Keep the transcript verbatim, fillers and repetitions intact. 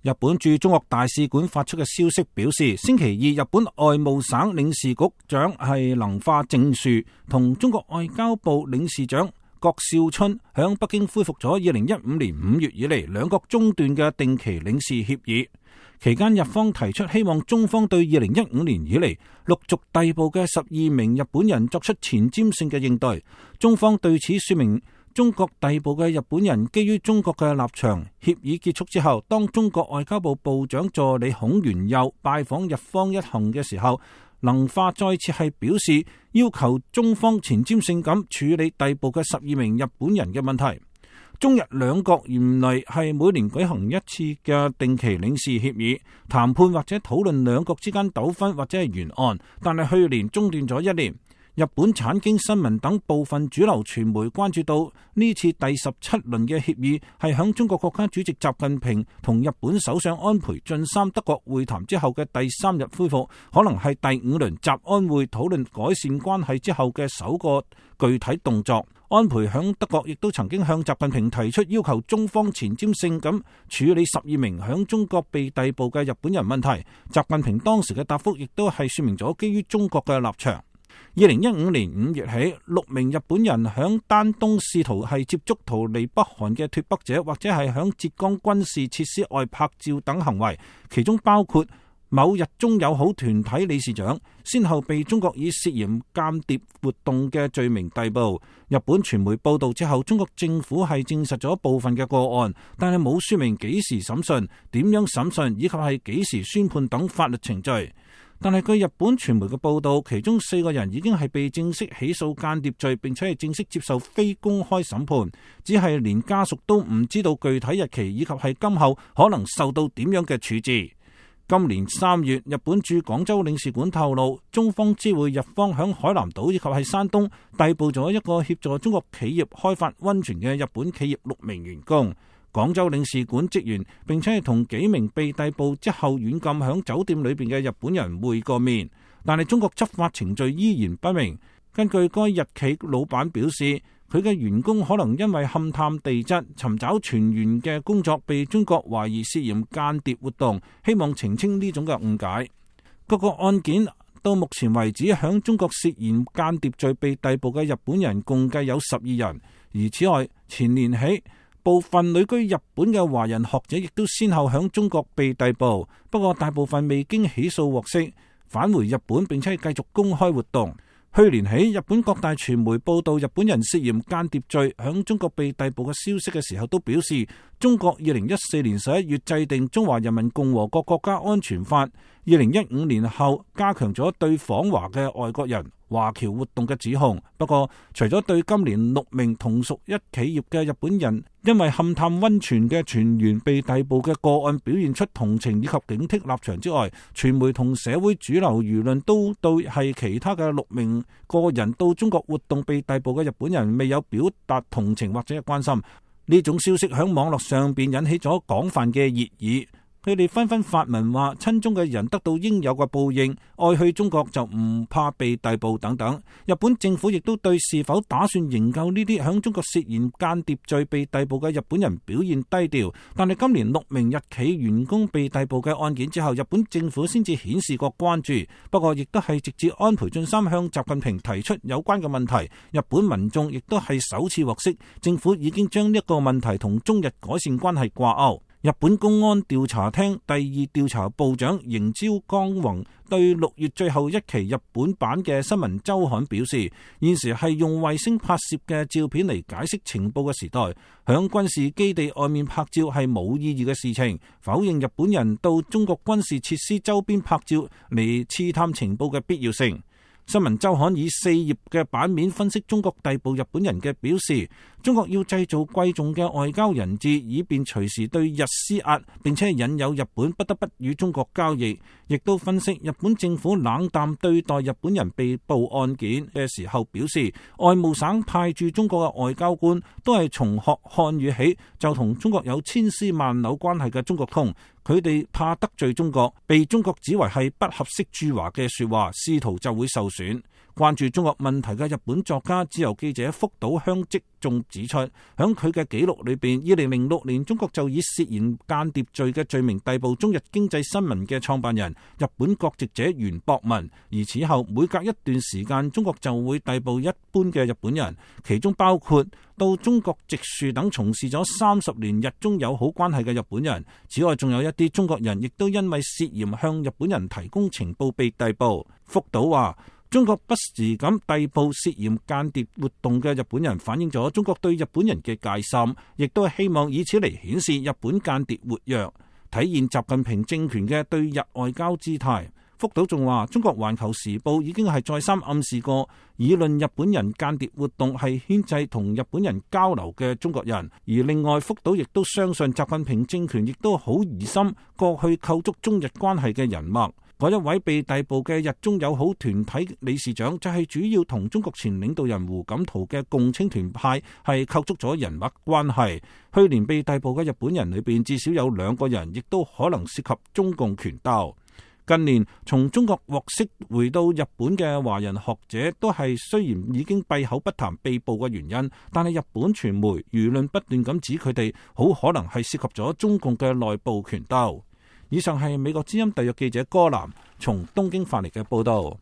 日本駐中國大使館發出嘅消息表示，星期二日本外務省領事局長係能化正樹同中國外交部領事長郭少春響北京恢復咗二零一五年五月以嚟兩國中斷嘅定期領事協議。期間日方提出希望中方對二零一五年以嚟陸續逮捕嘅十二名日本人作出前瞻性嘅應對。中方對此說明，中國逮捕嘅日本人基於中國嘅立場。協議結束之後，當中國外交部部長助理孔元佑拜訪日方一行嘅時候，能化再次係表示要求中方前瞻性咁處理逮捕嘅十二名日本人嘅問題。中日兩國原來係每年舉行一次嘅定期領事協議，談判或者討論兩國之間糾紛或者係懸案，但係去年中斷咗一年。日本產經新聞等部分主流傳媒關注到呢次第十七輪嘅協議係響中國國家主席習近平同日本首相安倍晉三德國會談之後嘅第三日恢復，可能係第五輪習安會討論改善關係之後嘅首個具體動作。安倍響德國亦都曾經向習近平提出要求中方前瞻性咁處理十二名響中國被逮捕嘅日本人問題。習近平當時嘅答覆亦都係說明咗基於中國嘅立場。二零一五年五月起，六名日本人響丹東試圖係接觸逃離北韓嘅脫北者，或者係響浙江軍事設施外拍照等行為，其中包括某日中友好團體理事長，先後被中國以涉嫌間諜活動嘅罪名逮捕。日本傳媒報道之後，中國政府係證實咗部分嘅個案，但係冇說明幾時審訊、點樣審訊以及係幾時宣判等法律程序。但係據日本傳媒嘅報道，其中四個人已經係被正式起訴間諜罪，並且係正式接受非公開審判，只係連家屬都唔知道具體日期以及係今後可能受到點樣嘅處置。今年三月，日本駐廣州領事館透露，中方知會日方響海南島以及係山東逮捕咗一個協助中國企業開發溫泉嘅日本企業六名員工。廣州領事館職員並且係同幾名被逮捕之後軟禁響酒店裏邊嘅日本人會過面，但係中國執法程序依然不明。根據該日企老闆表示，佢嘅員工可能因為勘探地質、尋找泉源嘅工作被中國懷疑涉嫌間諜活動，希望澄清呢種嘅誤解。各個案件到目前為止，響中國涉嫌間諜罪被逮捕嘅日本人共計有十二人。而此外，前年起，部分旅居日本嘅華人學者亦都先後響中國被逮捕，不過大部分未經起訴獲釋，返回日本並且繼續公開活動。去年起，日本各大傳媒報道日本人涉嫌間諜罪響中國被逮捕嘅消息嘅時候，都表示中國二零一四年十一月制定《中華人民共和國國家安全法》，二零一五年後加強咗對訪華嘅外國人華僑活動嘅指控。不過，除咗對今年六名同屬一企業嘅日本人因為勘探溫泉嘅泉源被逮捕嘅個案表現出同情以及警惕立場之外，傳媒同社會主流輿論都對係其他嘅六名個人到中國活動被逮捕嘅日本人未有表達同情或者係關心。呢種消息響網絡上邊引起咗廣泛嘅熱議。佢哋紛紛發文話親中嘅人得到應有嘅報應，愛去中國就唔怕被逮捕等等。日本政府亦都對是否打算營救呢啲響中國涉嫌間諜罪被逮捕嘅日本人表現低調。但係今年六名日企員工被逮捕嘅案件之後，日本政府先至顯示過關注。不過亦都係直至安倍晉三向習近平提出有關嘅問題，日本民眾亦都係首次獲悉政府已經將呢一個問題同中日改善關係掛鈎。日本公安調查廳第二調查部長刑朝光宏對六月最後一期日本版嘅新聞周刊表示，現時係用衛星拍攝嘅照片嚟解釋情報嘅時代，響軍事基地外面拍照係冇意義嘅事情，否認日本人到中國軍事設施周邊拍照嚟刺探情報嘅必要性。新聞周刊以四頁嘅版面分析中國逮捕日本人嘅表示，中國要製造貴重嘅外交人質，以便隨時對日施壓，並且引誘日本不得不與中國交易。亦都分析日本政府冷淡對待日本人被捕案件嘅時候，表示外務省派駐中國嘅外交官都係從學漢語起就同中國有千絲萬縷關係嘅中國通，佢哋怕得罪中國，被中國指為係不合適駐華嘅說話，仕途就會受損。關注中國問題嘅日本作家、自由記者福島香織仲指出，響佢嘅記錄裏邊，二零零六年中國就以涉嫌間諜罪嘅罪名逮捕中日經濟新聞嘅創辦人日本國籍者袁博文，而此後每隔一段時間，中國就會逮捕一般嘅日本人，其中包括到中國植樹等從事咗三十年日中友好關係嘅日本人。此外，仲有一啲中國人亦都因為涉嫌向日本人提供情報被逮捕。福島話，中國不時咁逮捕涉嫌間諜活動嘅日本人，反映咗中國對日本人嘅戒心，亦都係希望以此嚟顯示日本間諜活躍，體現習近平政權嘅對日外交姿態。福島仲話，中國環球時報已經係再三暗示過，議論日本人間諜活動係牽制同日本人交流嘅中國人。而另外，福島亦都相信習近平政權亦都好疑心過去構築中日關係嘅人脈。嗰一位被逮捕嘅日中友好團體理事長就係主要同中國前領導人胡錦濤嘅共青團派係構築咗人脈關係。去年被逮捕嘅日本人裏邊至少有兩個人亦都可能涉及中共權鬥。近年從中國獲釋回到日本嘅華人學者都係雖然已經閉口不談被捕嘅原因，但係日本傳媒輿論不斷咁指佢哋好可能係涉及咗中共嘅內部權鬥。以上係美國之音特約記者柯南從東京發嚟嘅報道。